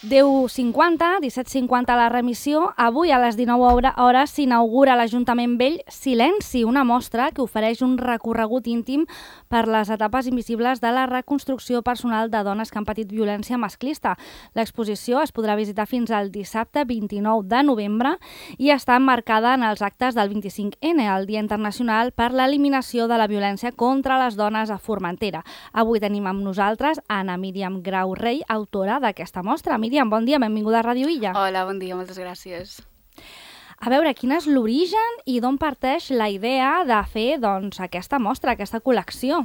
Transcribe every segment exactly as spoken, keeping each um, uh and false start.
deu cinquanta, disset cinquanta la remissió. Avui a les dinou hores s'inaugura a l'Ajuntament Vell Silenci, una mostra que ofereix un recorregut íntim per les etapes invisibles de la reconstrucció personal de dones que han patit violència masclista. L'exposició es podrà visitar fins al dissabte vint-i-nou de novembre i està emmarcada en els actes del vint-i-cinc ene, el Dia Internacional per l'Eliminació de la Violència contra les Dones a Formentera. Avui tenim amb nosaltres Anna Míriam Grau Rey, autora d'aquesta mostra. Míriam, bon dia, benvinguda a Ràdio Illa. Hola, bon dia, moltes gràcies. A veure, quin és l'origen i d'on parteix la idea de fer doncs, aquesta mostra, aquesta col·lecció?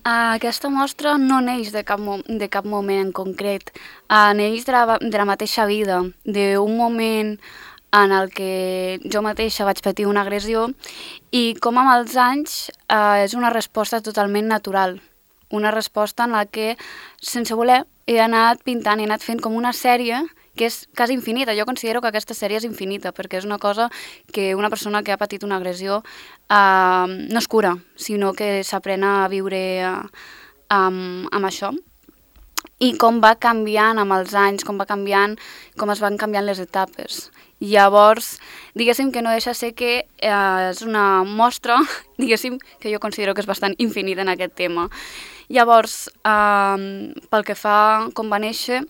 Uh, aquesta mostra no neix de cap, mo de cap moment en concret, uh, neix de la, de la mateixa vida, d'un moment en el que jo mateixa vaig patir una agressió i com amb els anys uh, és una resposta totalment natural, una resposta en la que, sense voler, he anat pintant, he anat fent com una sèrie que és quasi infinita. Jo considero que aquesta sèrie és infinita, perquè és una cosa que una persona que ha patit una agressió uh, no es cura, sinó que s'aprèn a viure uh, amb, amb això. I com va canviant amb els anys, com va canviant, com es van canviant les etapes. Llavors, diguéssim que no deixa ser que eh, és una mostra, diguéssim, que jo considero que és bastant infinita en aquest tema. Llavors, eh, pel que fa com va néixer,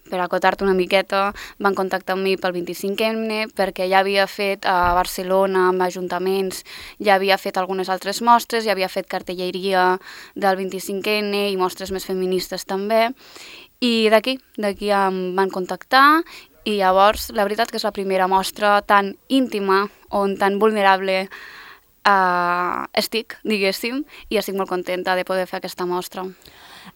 per acotar-te una miqueta, van contactar amb mi pel vint-i-cinc ene, perquè ja havia fet a Barcelona amb ajuntaments, ja havia fet algunes altres mostres, ja havia fet cartelleria del vint-i-cinc ene i mostres més feministes també, i d'aquí, d'aquí em van contactar, i llavors la veritat que és la primera mostra tan íntima, on tan vulnerable uh, estic, diguéssim, i estic molt contenta de poder fer aquesta mostra.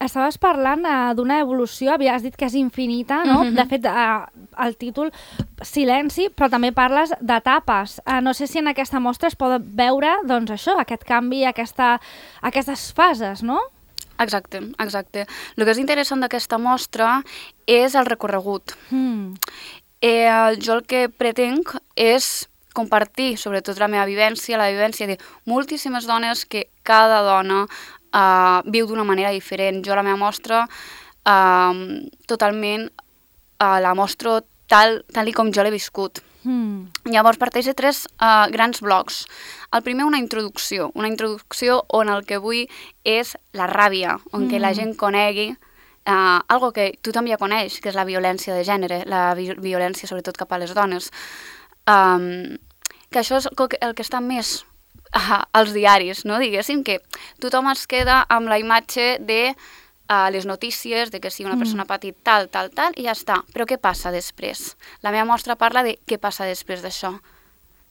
Estaves parlant uh, d'una evolució, havies dit que és infinita, no? Mm-hmm. De fet, uh, el títol Silenci, però també parles d'etapes. Uh, no sé si en aquesta mostra es pot veure doncs, això, aquest canvi, aquesta, aquestes fases, no? Exacte, exacte. El que és interessant d'aquesta mostra és el recorregut. Mm. Eh, jo el que pretenc és compartir, sobretot la meva vivència, la vivència de moltíssimes dones que cada dona Uh, viu d'una manera diferent. Jo la meva mostra uh, totalment uh, la mostro tal, tal i com jo l'he viscut. Mm. Llavors parteix de tres uh, grans blocs. El primer, una introducció, una introducció on el que vull és la ràbia, on mm. que la gent conegui uh, algo que tothom ja coneix, que és la violència de gènere, la vi violència sobretot cap a les dones. Um, que això és el que està més Uh, als diaris, no? Diguéssim que tothom es queda amb la imatge de uh, les notícies, de que si una persona ha patit tal, tal, tal, i ja està. Però què passa després? La meva mostra parla de què passa després d'això.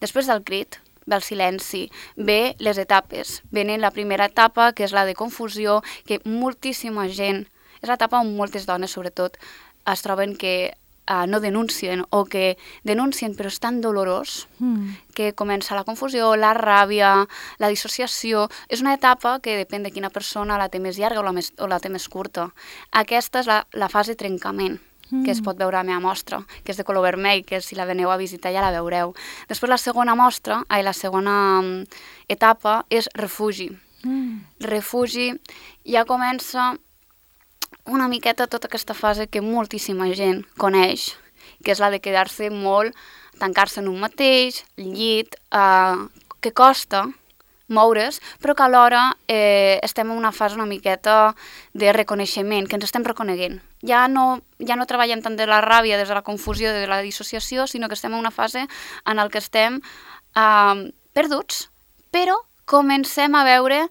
Després del crit, ve el silenci, ve les etapes. Venen la primera etapa, que és la de confusió, que moltíssima gent, és l'etapa on moltes dones, sobretot, es troben que Uh, no denuncien o que denuncien però és tan dolorós mm. que comença la confusió, la ràbia, la dissociació. És una etapa que depèn de quina persona la té més llarga o la, més, o la té més curta. Aquesta és la, la fase de trencament mm. que es pot veure a la meva mostra, que és de color vermell, que si la veneu a visitar ja la veureu. Després la segona mostra, ai, la segona um, etapa és refugi. Mm. Refugi ja comença una miqueta tota aquesta fase que moltíssima gent coneix, que és la de quedar-se molt, tancar-se en un mateix, llit, eh, que costa moure's, però que alhora eh, estem en una fase una miqueta de reconeixement, que ens estem reconeguent. Ja no, ja no treballem tant de la ràbia, des de la confusió, de la dissociació, sinó que estem en una fase en la que estem eh, perduts, però comencem a veure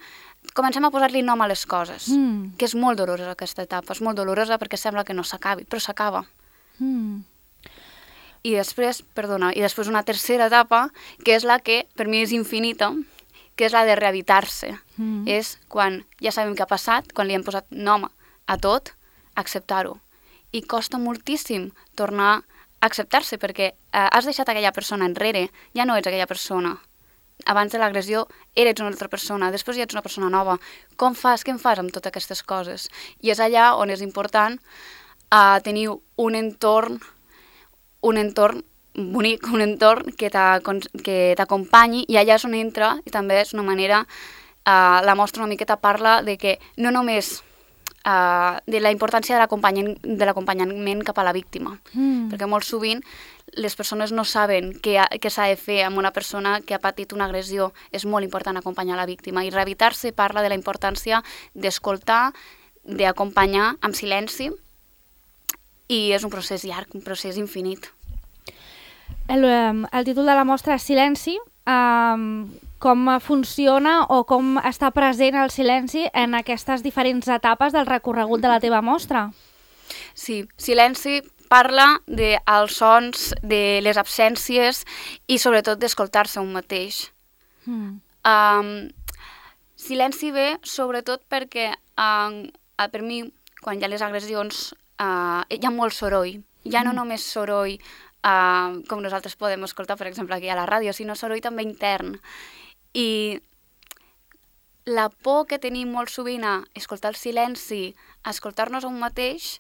comencem a posar-li nom a les coses, mm. que és molt dolorosa aquesta etapa, és molt dolorosa perquè sembla que no s'acabi, però s'acaba. Mm. I després, perdona, i després una tercera etapa, que és la que per mi és infinita, que és la de rehabitar-se. Mm. És quan ja sabem què ha passat, quan li hem posat nom a tot, acceptar-ho. I costa moltíssim tornar a acceptar-se perquè eh, has deixat aquella persona enrere, ja no ets aquella persona. Abans de l'agressió eres una altra persona, després ja ets una persona nova. Com fas, què en fas amb totes aquestes coses? I és allà on és important uh, tenir un entorn, un entorn bonic, un entorn que t'acompanyi, i allà és on entra, i també és una manera, uh, la mostra una miqueta parla de que no només uh, de la importància de l'acompanyament cap a la víctima. Mm. Perquè molt sovint les persones no saben què, què s'ha de fer amb una persona que ha patit una agressió. És molt important acompanyar la víctima. I Rehabilitar-se parla de la importància d'escoltar, d'acompanyar amb silenci, i és un procés llarg, un procés infinit. El, el títol de la mostra és Silenci. Um, com funciona o com està present el silenci en aquestes diferents etapes del recorregut de la teva mostra? Sí, Silenci parla dels sons, de les absències i sobretot d'escoltar-se un mateix. Mm. Um, silenci ve sobretot perquè um, per mi, quan hi ha les agressions, uh, hi ha molt soroll. Ja no mm. només soroll uh, com nosaltres podem escoltar, per exemple, aquí a la ràdio, sinó soroll també intern. I la por que tenim molt sovint a escoltar el silenci, a escoltar-nos a un mateix,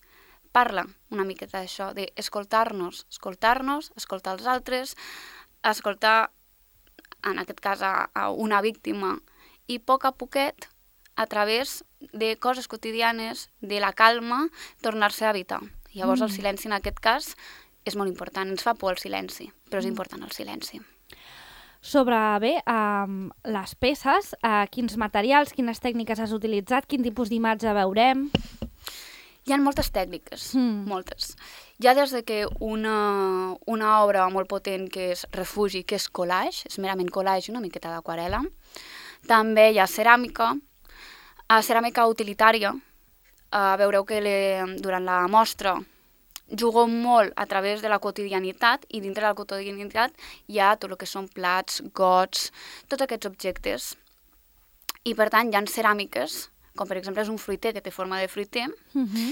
parla una miqueta d'això, d'escoltar-nos, escoltar-nos, escoltar els altres, escoltar, en aquest cas, a, a una víctima, i a poc a poquet, a través de coses quotidianes, de la calma, tornar-se a habitar. Llavors mm. el silenci en aquest cas és molt important, ens fa por el silenci, però és mm. important el silenci. Sobre, bé, um, les peces, uh, quins materials, quines tècniques has utilitzat, quin tipus d'imatge veurem? Hi ha moltes tècniques, mm. moltes. Hi ha des de que una, una obra molt potent que és Refugi, que és collage, és merament collage, una miqueta d'aquarel·la. També hi ha ceràmica, uh, ceràmica utilitària. Uh, veureu que le, durant la mostra jugo molt a través de la quotidianitat i dintre de la quotidianitat hi ha tot el que són plats, gots, tots aquests objectes. I per tant hi ha ceràmiques, com per exemple és un fruiter que té forma de fruiter, uh-huh.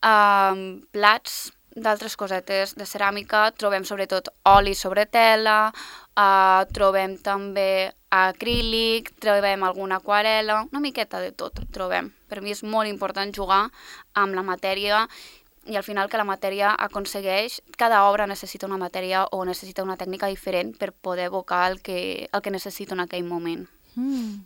uh, plats d'altres cosetes de ceràmica, trobem sobretot oli sobre tela, uh, trobem també acrílic, trobem alguna aquarel·la, una miqueta de tot trobem. Per mi és molt important jugar amb la matèria i al final que la matèria aconsegueix, cada obra necessita una matèria o necessita una tècnica diferent per poder evocar el que, el que necessito en aquell moment. Mm.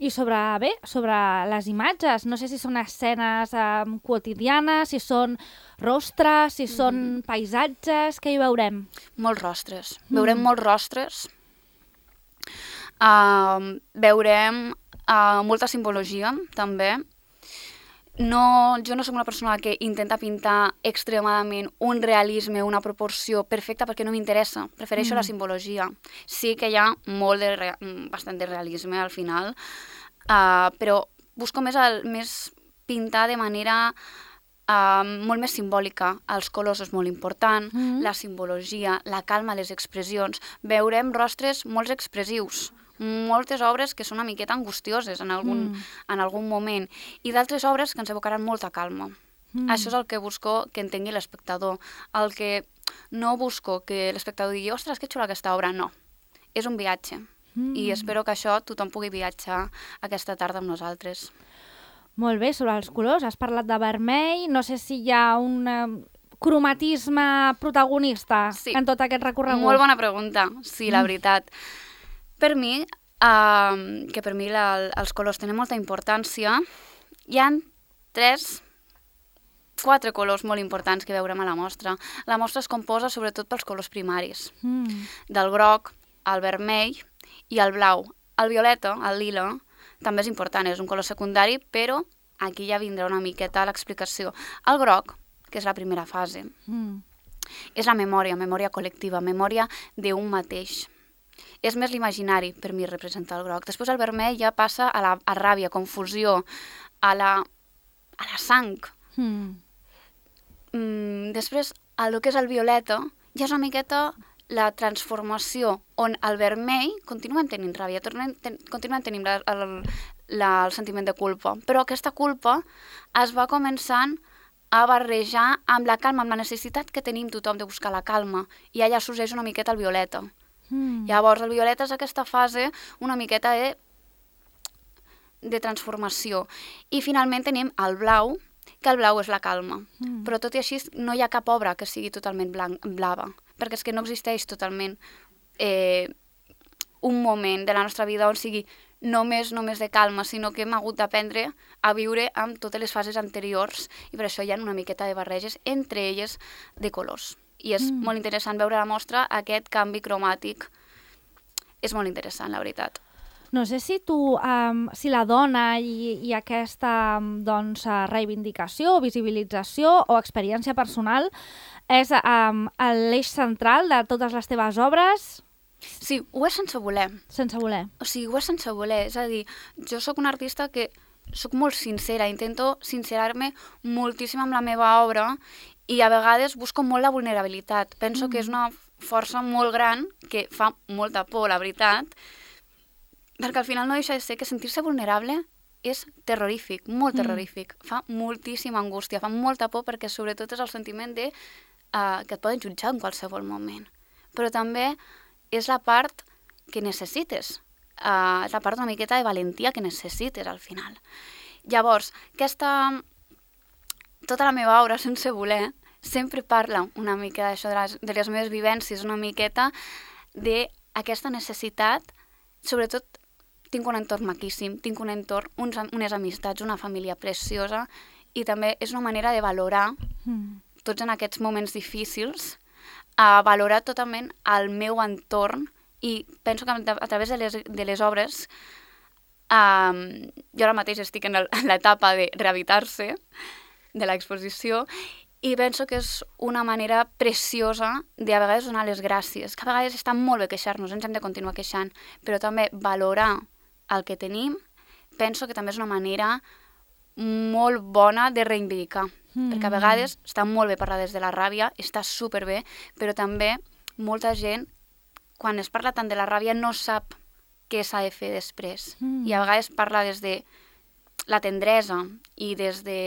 I sobre, bé, sobre les imatges, no sé si són escenes um, quotidianes, si són rostres, si són mm. paisatges, què hi veurem? Molts rostres, mm. veurem molts rostres, uh, veurem uh, molta simbologia també. No, jo no soc una persona que intenta pintar extremadament un realisme, una proporció perfecta perquè no m'interessa. Prefereixo mm. la simbologia. Sí que hi ha molt de rea- bastant de realisme al final, uh, però busco més, el, més pintar de manera uh, molt més simbòlica. Els colors és molt important, mm. la simbologia, la calma, les expressions. Veurem rostres molt expressius, moltes obres que són una miqueta angustioses en algun, mm. en algun moment, i d'altres obres que ens evocaran molta calma. Mm. Això és el que busco que entengui l'espectador. El que no busco que l'espectador digui «Ostres, que xula aquesta obra», no. És un viatge. Mm. I espero que això tothom pugui viatjar aquesta tarda amb nosaltres. Molt bé, sobre els colors, has parlat de vermell, no sé si hi ha un um, cromatisme protagonista sí. en tot aquest recorregut. Molt bona pregunta, sí, la mm. veritat. Per mi, uh, que per mi la, els colors tenen molta importància, hi ha tres, quatre colors molt importants que veurem a la mostra. La mostra es composa sobretot pels colors primaris, mm. del groc, el vermell i el blau. El violeta, el lila, també és important, és un color secundari, però aquí ja vindrà una miqueta l'explicació. El groc, que és la primera fase, mm. és la memòria, memòria col·lectiva, memòria d'un mateix. És més l'imaginari, per mi, representar el groc. Després el vermell ja passa a la a ràbia, confusió, a la, a la sang. Mm. Mm, després, el que és el violeta, ja és una miqueta la transformació, on el vermell continuem tenint ràbia, tornem, ten, continuem tenint la, el, la, el sentiment de culpa, però aquesta culpa es va començant a barrejar amb la calma, amb la necessitat que tenim tothom de buscar la calma, i allà sorgeix una miqueta el violeta. Mm. Llavors, el violeta és aquesta fase una miqueta de, de transformació. I finalment tenim el blau, que el blau és la calma. Mm. Però tot i així no hi ha cap obra que sigui totalment blanc, blava, perquè és que no existeix totalment eh, un moment de la nostra vida on sigui només, només de calma, sinó que hem hagut d'aprendre a viure amb totes les fases anteriors i per això hi ha una miqueta de barreges, entre elles de colors. I és mm. molt interessant veure a la mostra aquest canvi cromàtic. És molt interessant, la veritat. No sé si tu, um, si la dona i, i aquesta doncs, reivindicació, visibilització o experiència personal és um, l'eix central de totes les teves obres? Sí, ho és sense voler. Sense voler. O sigui, ho és sense voler. És a dir, jo sóc una artista que sóc molt sincera, intento sincerar-me moltíssim amb la meva obra i a vegades busco molt la vulnerabilitat. Penso mm. que és una força molt gran que fa molta por, la veritat, perquè al final no deixa de ser que sentir-se vulnerable és terrorífic, molt terrorífic. Mm. Fa moltíssima angústia, fa molta por perquè sobretot és el sentiment de uh, que et poden jutjar en qualsevol moment. Però també és la part que necessites, uh, és la part una miqueta de valentia que necessites al final. Llavors, aquesta... tota la meva obra, sense voler, sempre parla una mica d'això, de, les, de les meves vivències, una miqueta d'aquesta necessitat. Sobretot tinc un entorn maquíssim, tinc un entorn, uns, unes amistats, una família preciosa, i també és una manera de valorar, mm. tots en aquests moments difícils, a valorar totalment el meu entorn, i penso que a través de les, de les obres, um, jo ara mateix estic en l'etapa de rehabitar-se de l'exposició, i penso que és una manera preciosa de a vegades donar les gràcies, que a vegades està molt bé queixar-nos, ens hem de continuar queixant, però també valorar el que tenim, penso que també és una manera molt bona de reivindicar, mm. perquè a vegades està molt bé parlar des de la ràbia, està superbé, però també molta gent, quan es parla tant de la ràbia, no sap què s'ha de fer després, mm. i a vegades parla des de la tendresa i des de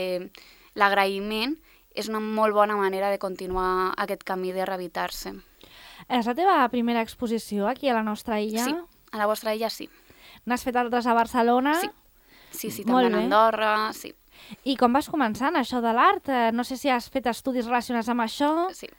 l'agraïment, és una molt bona manera de continuar aquest camí de rehabitar-se. És la teva primera exposició aquí a la nostra illa? Sí, a la vostra illa sí. N'has fet altres a Barcelona? Sí, sí, sí també a Andorra, sí. I com vas començar en això de l'art? No sé si has fet estudis relacionats amb això. Sí.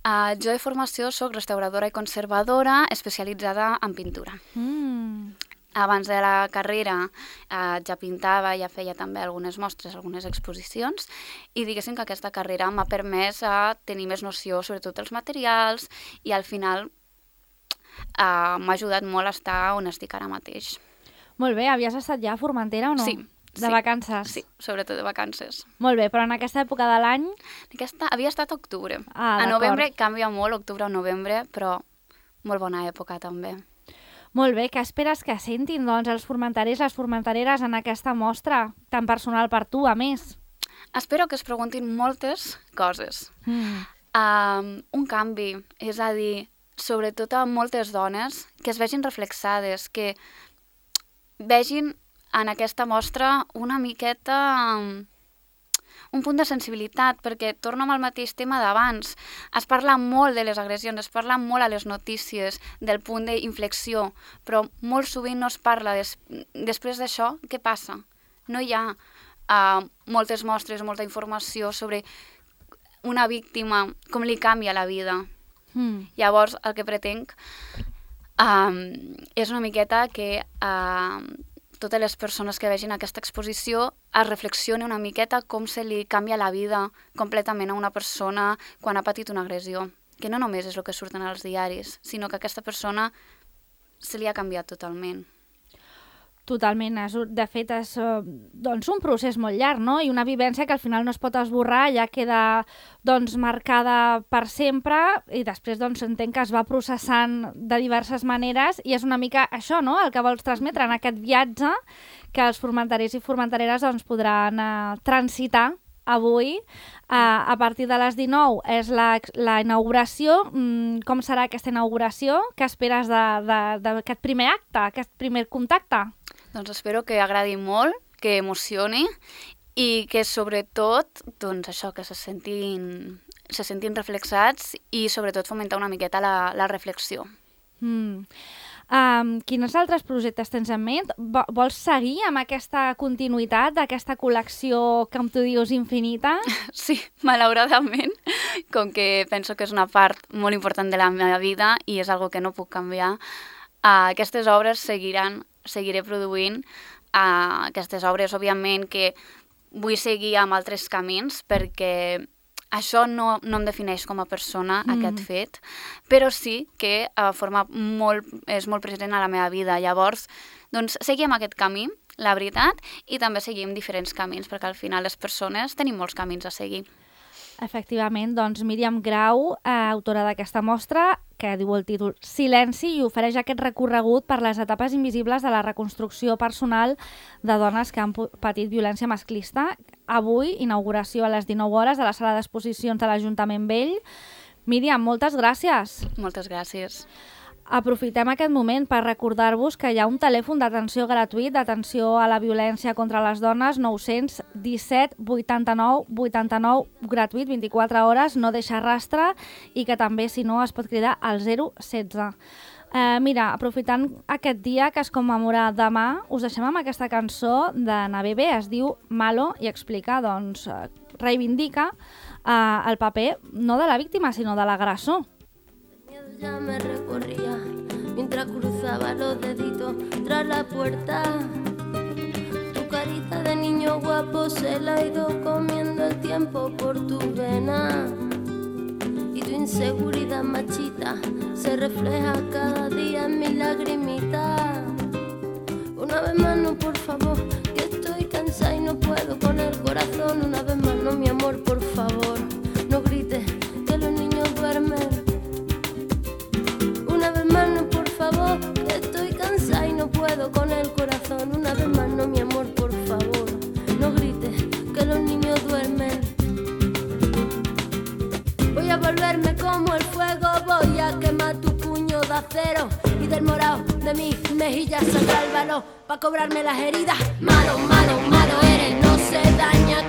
Uh, jo de formació soc restauradora i conservadora especialitzada en pintura. Mm. Abans de la carrera eh, ja pintava, ja feia també algunes mostres, algunes exposicions, i diguéssim que aquesta carrera m'ha permès a tenir més noció sobre tots els materials i al final eh, m'ha ajudat molt a estar on estic ara mateix. Molt bé, havies estat ja a Formentera o no? Sí. De sí, vacances? Sí, sobretot de vacances. Molt bé, però en aquesta època de l'any? Aquesta havia estat a octubre. Ah, a novembre canvia molt, octubre o novembre, però molt bona època també. Molt bé, què esperes que sentin doncs, els formenterers, les formentereres en aquesta mostra tan personal per tu, a més? Espero que es preguntin moltes coses. Mm. Um, un canvi, és a dir, sobretot a moltes dones, que es vegin reflexades, que vegin en aquesta mostra una miqueta... Um, un punt de sensibilitat, perquè torno amb el mateix tema d'abans. Es parla molt de les agressions, es parla molt a les notícies del punt d'inflexió, però molt sovint no es parla des... després d'això, què passa? No hi ha uh, moltes mostres, molta informació sobre una víctima, com li canvia la vida. Mm. Llavors, el que pretenc um, és una miqueta que... Uh, totes les persones que vegin aquesta exposició es reflexioni una miqueta com se li canvia la vida completament a una persona quan ha patit una agressió. Que no només és el que surten als diaris, sinó que aquesta persona se li ha canviat totalment. Totalment. De fet, és doncs, un procés molt llarg, no? I una vivència que al final no es pot esborrar, ja queda doncs, marcada per sempre i després doncs, entenc que es va processant de diverses maneres i és una mica això, no?, el que vols transmetre en aquest viatge que els formenterers i formentereres doncs, podran uh, transitar avui. Uh, a partir de les dinou és la, la inauguració. Mm, com serà aquesta inauguració? Què esperes d'aquest primer acte, aquest primer contacte? Doncs espero que agradi molt, que emocioni i que sobretot, doncs això, que se sentin, se sentin reflexats i sobretot fomentar una miqueta la, la reflexió. Mm. Um, quins altres projectes tens en ment? Vols seguir amb aquesta continuïtat d'aquesta col·lecció, com tu dius, infinita? Sí, malauradament, com que penso que és una part molt important de la meva vida i és algo que no puc canviar, uh, aquestes obres seguiran seguiré produint uh, aquestes obres. Òbviament que vull seguir amb altres camins perquè això no, no em defineix com a persona, mm. aquest fet, però sí que uh, forma molt, és molt present a la meva vida. Llavors, doncs, seguim aquest camí, la veritat, i també seguim diferents camins, perquè al final les persones tenim molts camins a seguir. Efectivament, doncs Míriam Grau, eh, autora d'aquesta mostra, que diu el títol Silenci, i ofereix aquest recorregut per les etapes invisibles de la reconstrucció personal de dones que han patit violència masclista. Avui, inauguració a les dinou hores a la sala d'exposicions de l'Ajuntament Vell. Míriam, moltes gràcies. Moltes gràcies. Aprofitem aquest moment per recordar-vos que hi ha un telèfon d'atenció gratuït d'atenció a la violència contra les dones, nou disset vuitanta-nou vuitanta-nou, gratuït, vint-i-quatre hores, no deixa rastre, i que també, si no, es pot cridar al zero setze. Eh, mira, aprofitant aquest dia que es commemora demà, us deixem amb aquesta cançó de Nabebe, es diu Malo, i explica, doncs, reivindica eh, el paper no de la víctima, sinó de l'agressor. Ya me recorría mientras cruzaba los deditos tras la puerta. Tu carita de niño guapo se la ha ido comiendo el tiempo por tu vena. Y tu inseguridad machita se refleja cada día en mi lagrimita. Una vez más no, por favor, que estoy cansada y no puedo con el corazón. Una vez más no, mi amor, por favor, no grites que los niños duermen. Una vez más no, por favor, que estoy cansada y no puedo con el corazón. Una vez más no, mi amor, por favor, no grites que los niños duermen. Voy a volverme como el fuego, voy a quemar tu puño de acero y del morado de mis mejillas saldrá el valor pa' cobrarme las heridas. Malo, malo, malo eres, no se daña